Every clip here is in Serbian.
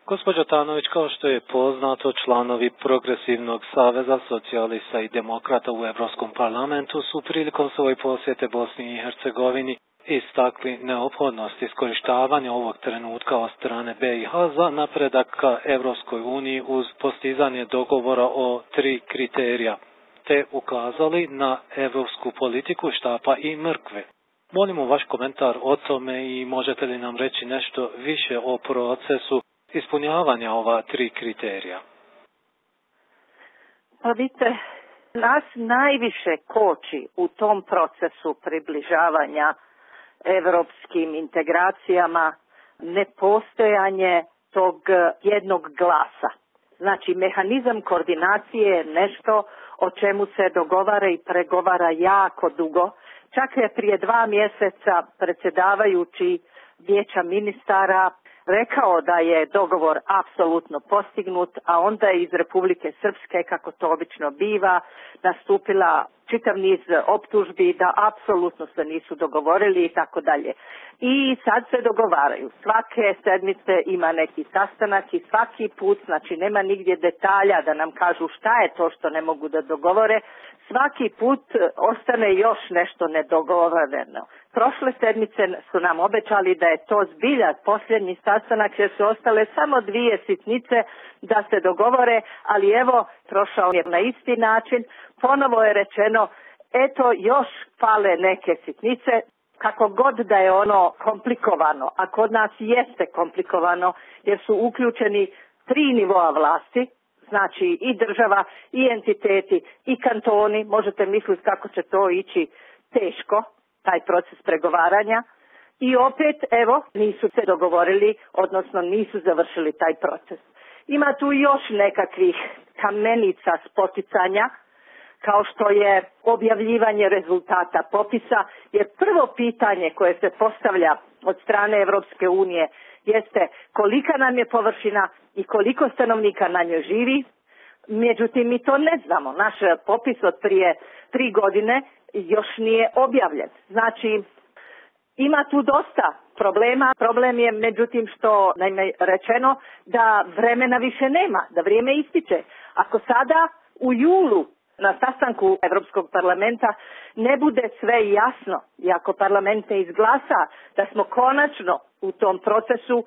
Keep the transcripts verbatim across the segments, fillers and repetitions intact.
Gospođo Tanović, kao što je poznato, članovi Progresivnog saveza socijalista i demokrata u Europskom parlamentu su prilikom svoje posjete Bosni i Hercegovini istakli neophodnost iskorištavanja ovog trenutka od strane B i H za napredak ka Evropskoj uniji uz postizanje dogovora o tri kriterija, te ukazali na evropsku politiku štapa i mrkve. Molimo vaš komentar o tome i možete li nam reći nešto više o procesu ispunjavanja ova tri kriterija? Pa vidite, nas najviše koči u tom procesu približavanja evropskim integracijama nepostojanje tog jednog glasa. Znači, mehanizam koordinacije je nešto o čemu se dogovara i pregovara jako dugo. Čak je prije dva mjeseca predsjedavajući Vijeća ministara rekao da je dogovor apsolutno postignut, a onda je iz Republike Srpske, kako to obično biva, nastupila čitav niz optužbi da apsolutno se nisu dogovorili i tako dalje. I sad se dogovaraju. Svake sedmice ima neki sastanak i svaki put, znači nema nigdje detalja da nam kažu šta je to što ne mogu da dogovore. Svaki put ostane još nešto nedogovoreno. Prošle sedmice su nam obećali da je to zbilja posljednji sastanak jer su ostale samo dvije sitnice da se dogovore, ali evo, prošao je na isti način. Ponovo je rečeno, eto još fale neke sitnice, kako god da je ono komplikovano, a kod nas jeste komplikovano jer su uključeni tri nivoa vlasti, znači i država, i entiteti, i kantoni. Možete misliti kako će to ići teško, taj proces pregovaranja. I opet, evo, nisu se dogovorili, odnosno nisu završili taj proces. Ima tu još nekakvih kamenica spoticanja, kao što je objavljivanje rezultata popisa, jer prvo pitanje koje se postavlja od strane Evropske unije jeste kolika nam je površina i koliko stanovnika na njoj živi. Međutim, mi to ne znamo. Naš popis od prije tri godine još nije objavljen. Znači, ima tu dosta problema. Problem je, međutim, što naime rečeno da vremena više nema, da vrijeme ističe. Ako sada u julu na sastanku Europskog parlamenta ne bude sve jasno i ako parlament ne izglasa da smo konačno u tom procesu,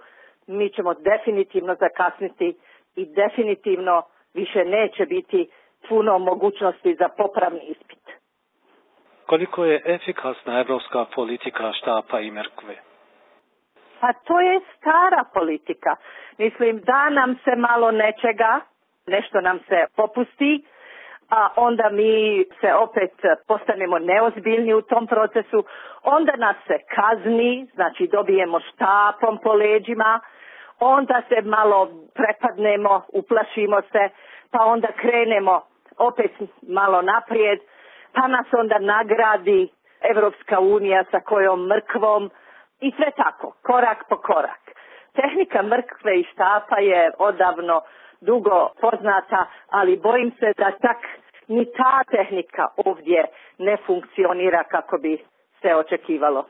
mi ćemo definitivno zakasniti i definitivno više neće biti puno mogućnosti za popravni ispit. Koliko je efikasna evropska politika štapa i mrkve? Pa to je stara politika. Mislim da nam se malo nečega, nešto nam se popusti, a onda mi se opet postanemo neozbiljni u tom procesu, onda nas se kazni, znači dobijemo štapom po leđima, onda se malo prepadnemo, uplašimo se, pa onda krenemo opet malo naprijed, pa nas onda nagradi Evropska unija sa kojom mrkvom i sve tako, korak po korak. Tehnika mrkve i štapa je odavno dugo poznata, ali bojim se da tak ni ta tehnika ovdje ne funkcionira kako bi se očekivalo.